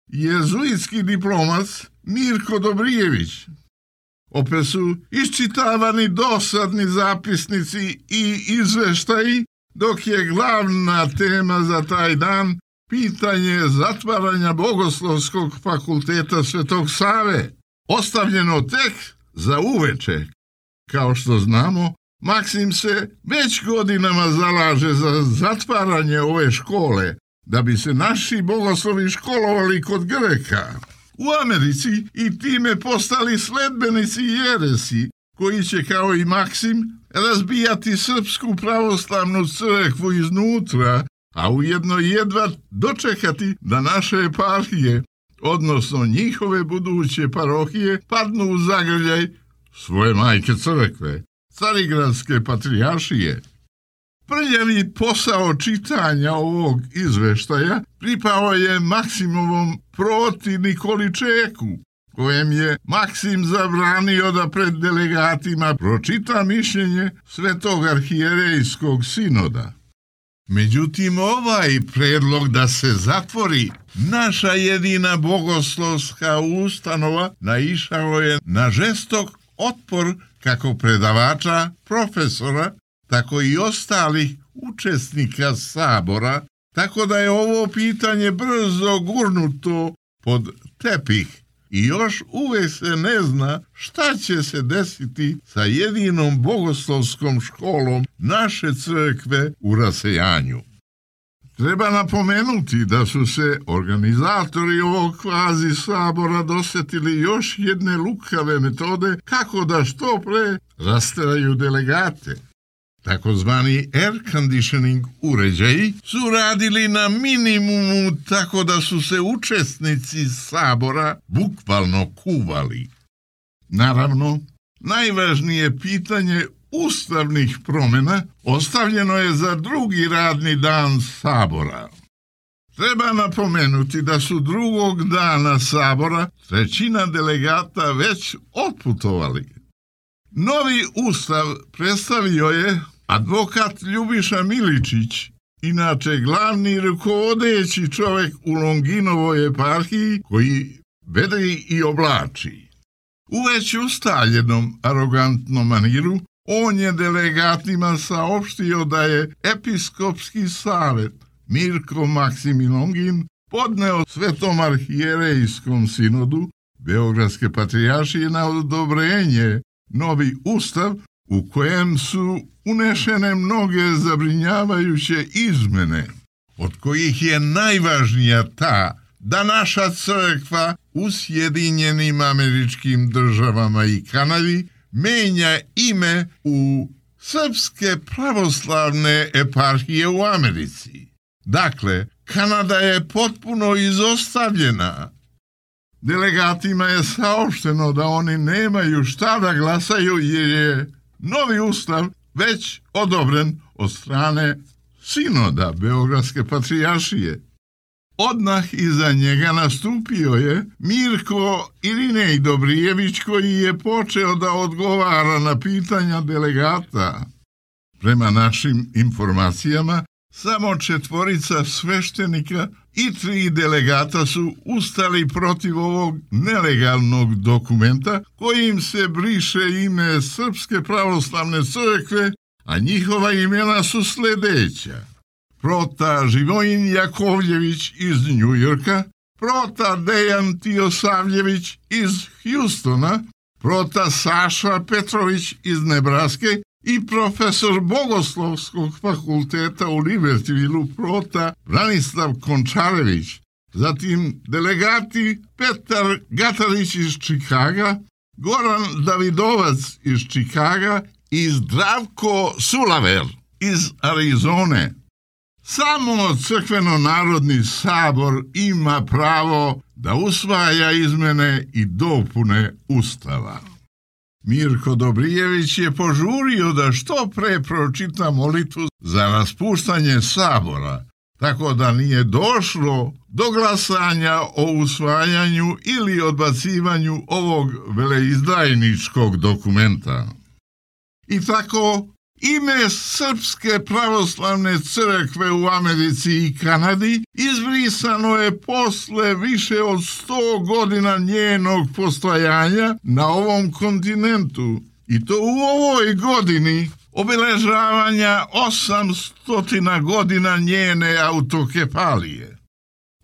jezuitski diplomac Mirko Dobrijević. Opet su iščitavani dosadni zapisnici i izveštaji, dok je glavna tema za taj dan pitanje zatvaranja Bogoslovskog fakulteta Svetog Save, ostavljeno tek za uveče. Kao što znamo, Maksim se već godinama zalaže za zatvaranje ove škole, da bi se naši bogoslovi školovali kod Greka u Americi i time postali sledbenici jeresi, koji će kao i Maksim razbijati Srpsku pravoslavnu crkvu iznutra, a ujedno jedva dočekati da naše eparhije, odnosno njihove buduće parohije, padnu u zagrljaj svoje majke crkve, Carigradske patrijaršije. Prljavi posao čitanja ovog izveštaja pripao je Maksimovom proti Nikoli Čeku, kojem je Maksim zabranio da pred delegatima pročita mišljenje Svetog arhijerejskog sinoda. Međutim, ovaj predlog da se zatvori naša jedina bogoslovska ustanova naišao je na žestok otpor kako predavača, profesora, tako i ostalih učesnika sabora, tako da je ovo pitanje brzo gurnuto pod tepih i još uvek se ne zna šta će se desiti sa jedinom bogoslovskom školom naše crkve u rasejanju. Treba napomenuti da su se organizatori ovog kvazi sabora dosetili još jedne lukave metode kako da što pre rasteraju delegate. Takozvani air conditioning uređaji su radili na minimumu, tako da su se učesnici sabora bukvalno kuvali. Naravno, najvažnije pitanje ustavnih promjena ostavljeno je za drugi radni dan sabora. Treba napomenuti da su drugog dana sabora trećina delegata već otputovali. Novi ustav predstavio je Advokat Ljubiša Miličić, inače glavni rukovodeći čovjek u Longinovoj eparhiji, koji vede i oblači. U već ustaljenom arogantnom maniru, on je delegatima saopštio da je episkopski savjet Mirko Maksim Longin podneo Svetom arhijerejskom sinodu Beogradske patrijaršije na odobrenje novi ustav u kojem su unešene mnoge zabrinjavajuće izmene, od kojih je najvažnija ta da naša crkva u Sjedinjenim Američkim Državama i Kanadi menja ime u Srpske pravoslavne eparhije u Americi. Dakle, Kanada je potpuno izostavljena. Delegatima je saopšteno da oni nemaju šta da glasaju jer je novi ustav već odobren od strane sinoda Beogradske patrijaršije. Odmah iza njega nastupio je Mirko Irinej Dobrijević, koji je počeo da odgovara na pitanja delegata. Prema našim informacijama, samo četvorica sveštenika i tri delegata su ustali protiv ovog nelegalnog dokumenta kojim se briše ime Srpske pravoslavne crkve, a njihova imena su sljedeća: prota Živojin Jakovljević iz Njujorka, prota Dejan Tijosavljević iz Hjustona, prota Saša Petrović iz Nebraske i profesor Bogoslovskog fakulteta u Libertyvilu prota Branislav Končarević, zatim delegati Petar Gatarić iz Čikaga, Goran Davidovac iz Čikaga i Zdravko Sulaver iz Arizone. Samo crkveno-narodni sabor ima pravo da usvaja izmene i dopune ustava. Mirko Dobrijević je požurio da što pre pročita molitvu za raspuštanje sabora, tako da nije došlo do glasanja o usvajanju ili odbacivanju ovog veleizdajničkog dokumenta. I tako, ime Srpske pravoslavne crkve u Americi i Kanadi izbrisano je posle više od sto godina njenog postojanja na ovom kontinentu, i to u ovoj godini obeležavanja osamstotina godina njene autokefalije.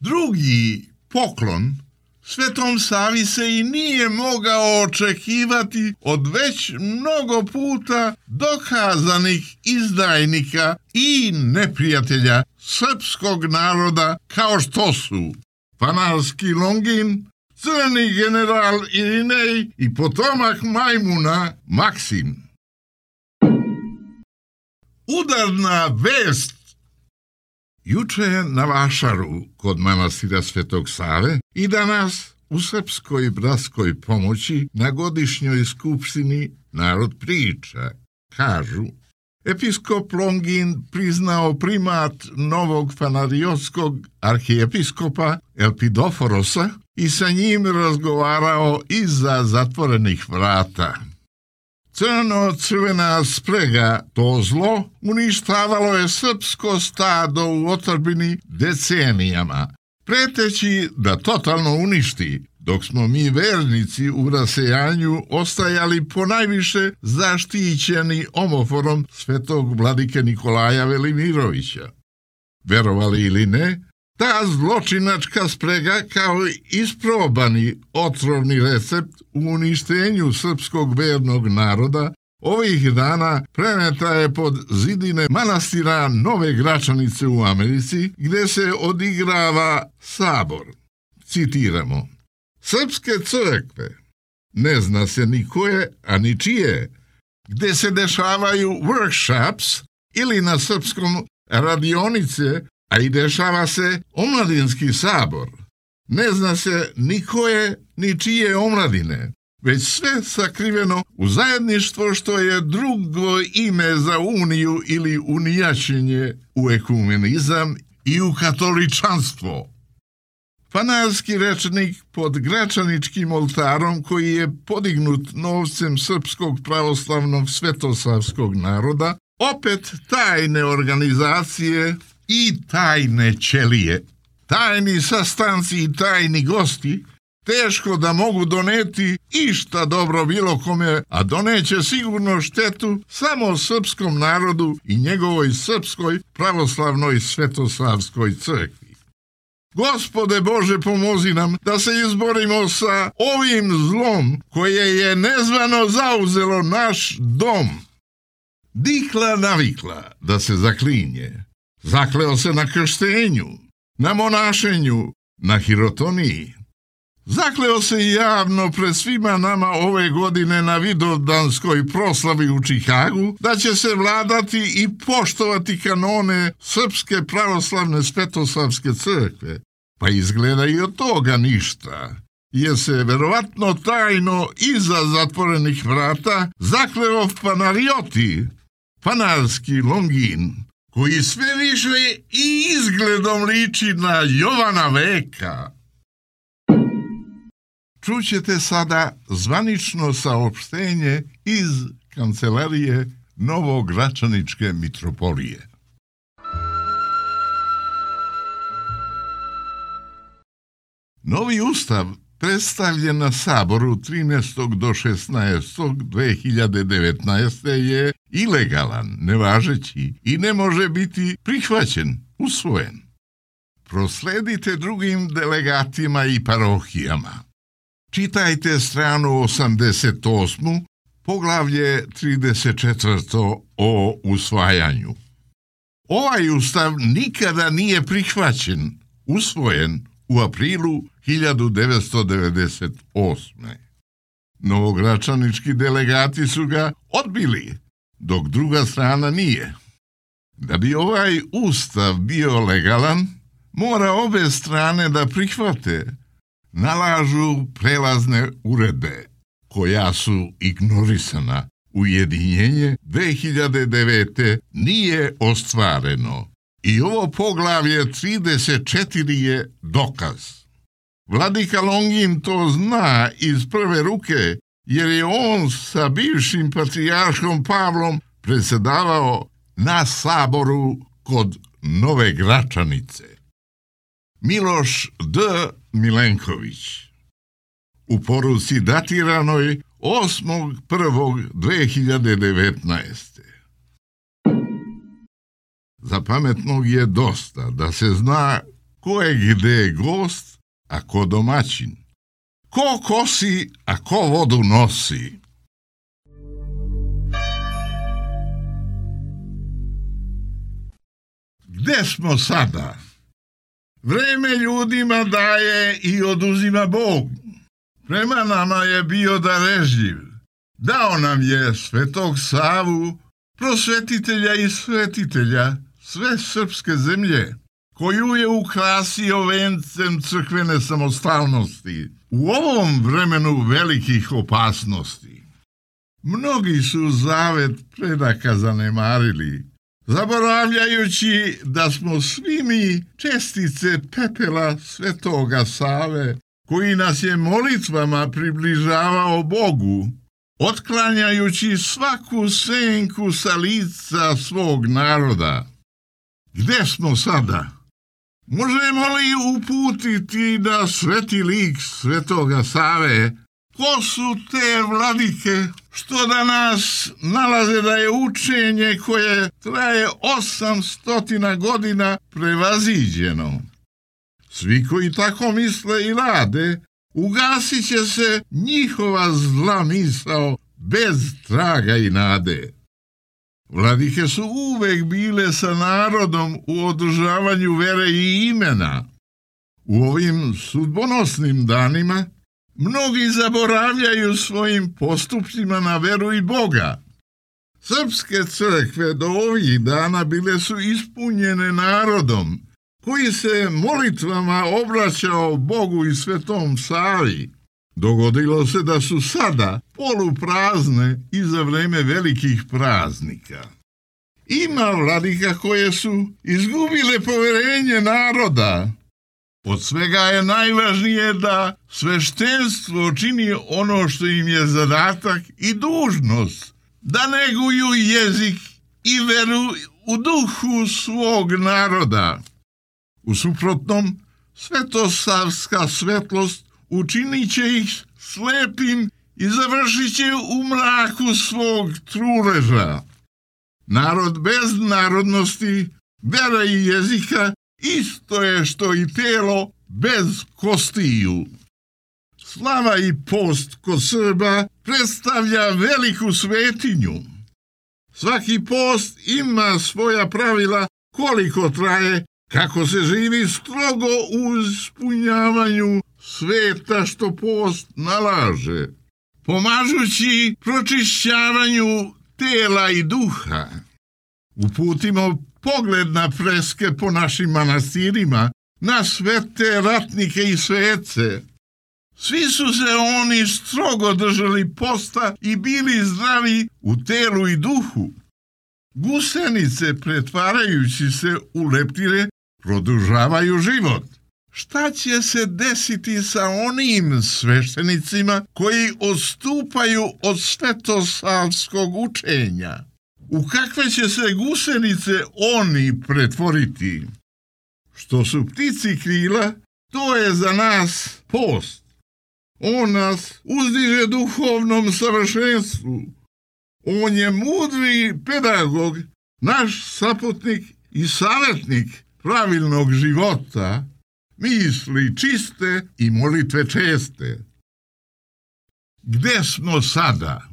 Drugi poklon Svetom Savi se i nije mogao očekivati od već mnogo puta dokazanih izdajnika i neprijatelja srpskog naroda, kao što su Fanarski Longin, crni general Irinej i potomak majmuna Maksim. Udarna vest. Juče na Vašaru kod manastira Svetog Save i danas u Srpskoj bratskoj pomoći na godišnjoj skupštini narod priča. Kažu, episkop Longin priznao primat novog fanariotskog arhijepiskopa Elpidoforosa i sa njim razgovarao iza zatvorenih vrata. Crno-crvena sprega, to zlo, uništavalo je srpsko stado u otadžbini decenijama, preteći da totalno uništi, dok smo mi vernici u rasejanju ostajali ponajviše zaštićeni omoforom svetog vladike Nikolaja Velimirovića. Verovali ili ne, ta zločinačka sprega kao isprobani otrovni recept u uništenju srpskog vernog naroda ovih dana preneta je pod zidine manastira Nove Gračanice u Americi, gde se odigrava sabor. Citiramo: Srpske crkve, ne zna se ni koje, a ni čije, gde se dešavaju workshops ili na srpskom radionice, a i dešava se omladinski sabor. Ne zna se ni koje, ni čije omladine, već sve sakriveno u zajedništvo što je drugo ime za uniju ili unijačenje u ekumenizam i u katoličanstvo. Fanarski rečnik pod Gračaničkim oltarom, koji je podignut novcem Srpskog pravoslavnog svetosavskog naroda, opet tajne organizacije i tajne ćelije. Tajni sastanci i tajni gosti teško da mogu doneti išta dobro bilo kome, a doneće sigurno štetu samo srpskom narodu i njegovoj srpskoj pravoslavnoj svetosavskoj crkvi. Gospode Bože, pomozi nam da se izborimo sa ovim zlom koje je nezvano zauzelo naš dom. Dikla navikla da se zaklinje. Zakleo se na krštenju, na monašenju, na hirotoniji. Zakleo se javno pred svima nama ove godine na vidovdanskoj proslavi u Čikagu da će se vladati i poštovati kanone Srpske pravoslavne svetosavske crkve. Pa izgleda i od toga ništa, jer se verovatno tajno iza zatvorenih vrata zakleo Panarioti, panarski Longin, koji sve više i izgledom liči na Jovana Veka. Čućete sada zvanično saopštenje iz kancelarije Novogračaničke mitropolije. Novi ustav predstavljen na Saboru trinaestog do šesnaestog dve hiljade devetnaeste. je ilegalan, nevažeći i ne može biti prihvaćen, usvojen. Prosledite drugim delegatima i parohijama. Čitajte stranu osamdeset osmu, poglavlje trideset četvrto o usvajanju. Ovaj ustav nikada nije prihvaćen, usvojen u aprilu hiljadu devetsto devedeset osme. Novogračanički delegati su ga odbili, dok druga strana nije. Da bi ovaj ustav bio legalan, mora obe strane da prihvate, nalažu prelazne uredbe, koja su ignorisana. Ujedinjenje dve hiljade devete. nije ostvareno. I ovo poglavlje trideset četiri je dokaz. Vladika Longin to zna iz prve ruke, jer je on sa bivšim patrijarhom Pavlom predsjedavao na Saboru kod Nove Gračanice. Miloš D. Milenković. U poruci datiranoj osmog prvog dve hiljade devetnaeste. Za pametnog je dosta da se zna ko je gde gost, a ko domaćin. Ko kosi, a ko vodu nosi. Gde smo sada? Vreme ljudima daje i oduzima Bog. Prema nama je bio darežljiv. Dao nam je Svetog Savu, prosvetitelja i svetitelja sve srpske zemlje, koju je ukrasio vencem crkvene samostalnosti u ovom vremenu velikih opasnosti. Mnogi su zavet predaka zanemarili, zaboravljajući da smo svi mi čestice pepela Svetoga Save, koji nas je molitvama približavao Bogu, otklanjajući svaku senku sa lica svog naroda. Gde smo sada? Možemo li uputiti na sveti lik Svetoga Save? Ko su te vladike što da nas nalaze da je učenje koje traje osamstotina godina prevaziđeno? Svi koji tako misle i rade, ugasit će se njihova zla misao bez traga i nade. Vladike su uvek bile sa narodom u održavanju vere i imena. U ovim sudbonosnim danima mnogi zaboravljaju svojim postupcima na veru i Boga. Srpske crkve do ovih dana bile su ispunjene narodom, koji se molitvama obraćao Bogu i Svetom Savi. Dogodilo se da su sada poluprazne i za vreme velikih praznika. Ima vladika koje su izgubile poverenje naroda. Od svega je najvažnije da sveštenstvo čini ono što im je zadatak i dužnost, da neguju jezik i veru u duhu svog naroda. U suprotnom, svetosavska svetlost učinit će ih slepim i završit će u mraku svog truleža. Narod bez narodnosti, vera i jezika isto je što i telo bez kostiju. Slava i post kod Srba predstavlja veliku svetinju. Svaki post ima svoja pravila koliko traje, kako se živi strogo u ispunjavanju sveta što post nalaže, pomažući pročišćavanju tela i duha. Uputimo pogled na freske po našim manastirima, na svete ratnike i svece. Svi su se oni strogo držali posta i bili zdravi u telu i duhu. Gusenice, pretvarajući se u leptire, produžavaju život. Šta će se desiti sa onim sveštenicima koji odstupaju od svetosavskog učenja? U kakve će se gusenice oni pretvoriti? Što su ptici krila, to je za nas post. On nas uzdiže duhovnom savršenstvu. On je mudri pedagog, naš saputnik i savjetnik pravilnog života, misli čiste i molitve česte. Gde smo sada?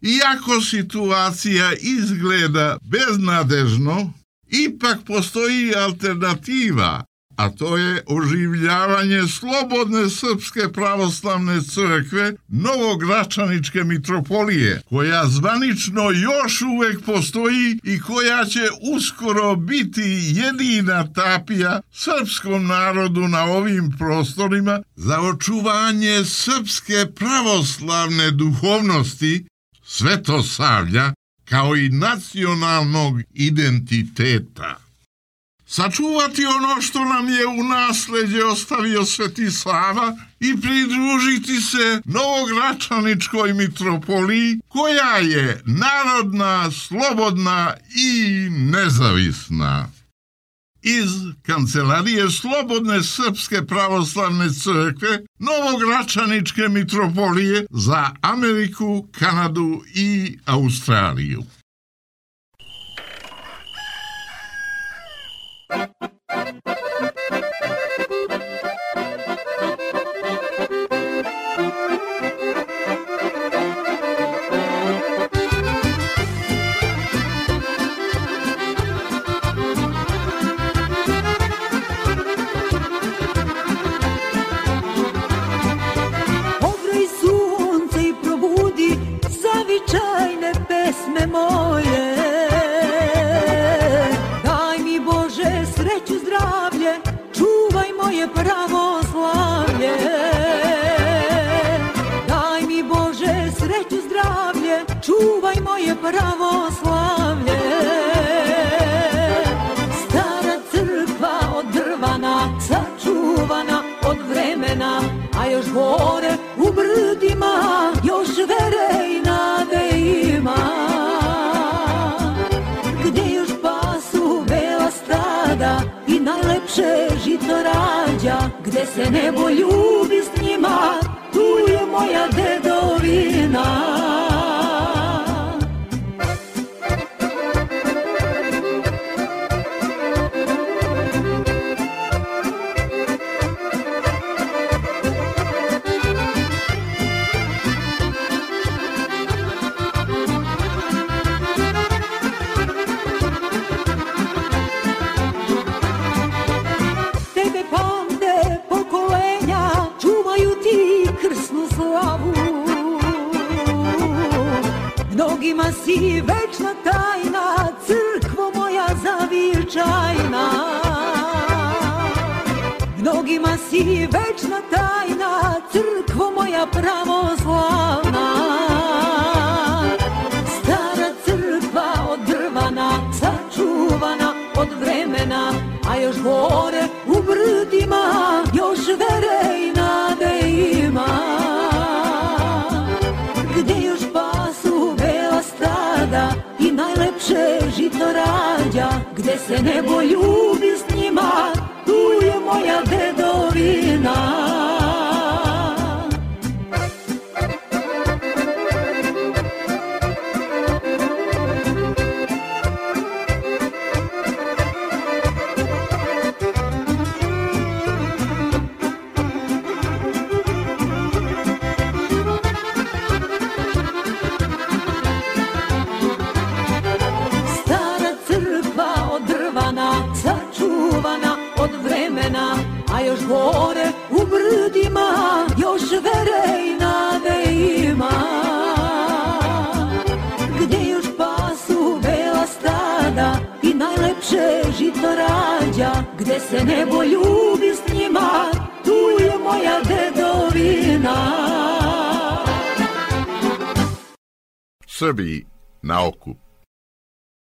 Iako situacija izgleda beznadežno, ipak postoji alternativa, a to je oživljavanje slobodne Srpske pravoslavne crkve Novogračaničke mitropolije, koja zvanično još uvek postoji i koja će uskoro biti jedina tapija srpskom narodu na ovim prostorima za očuvanje srpske pravoslavne duhovnosti, svetosavlja, kao i nacionalnog identiteta. Sačuvati ono što nam je u nasleđe ostavio Sveti Sava i pridružiti se Novogračaničkoj mitropoliji, koja je narodna, slobodna i nezavisna. Iz Kancelarije Slobodne Srpske pravoslavne crkve Novogračaničke mitropolije za Ameriku, Kanadu i Australiju. Moje, daj mi Bože sreću, zdravlje, čuvaj moje pravoslavlje. Daj mi Bože sreću, zdravlje, čuvaj moje pravoslavlje. Stara crkva od drvana, sačuvana od vremena, a još gore u brdima, još vere i nade ima. I najlepše žito rađa, gde se nebo ljubi s njima, tu je moja dedovina. Mnogima si večna tajna, crkvo moja zavičajna. Mnogima si večna tajna, crkvo moja pravoslavna. Stara crkva od drvana, sačuvana od vremena, a još gore u brdima, još vere i nade ima. Gde još pasu bela stada i najlepše gde se nebo ljubi s njima, tu je moja dedovina. A još gore u brdima, još vere i nade ima. Gdje još pasu bela stada i najlepše žito rađa, gdje se nebo ljubi s njima, tu je moja dedovina. Srbiji na okup.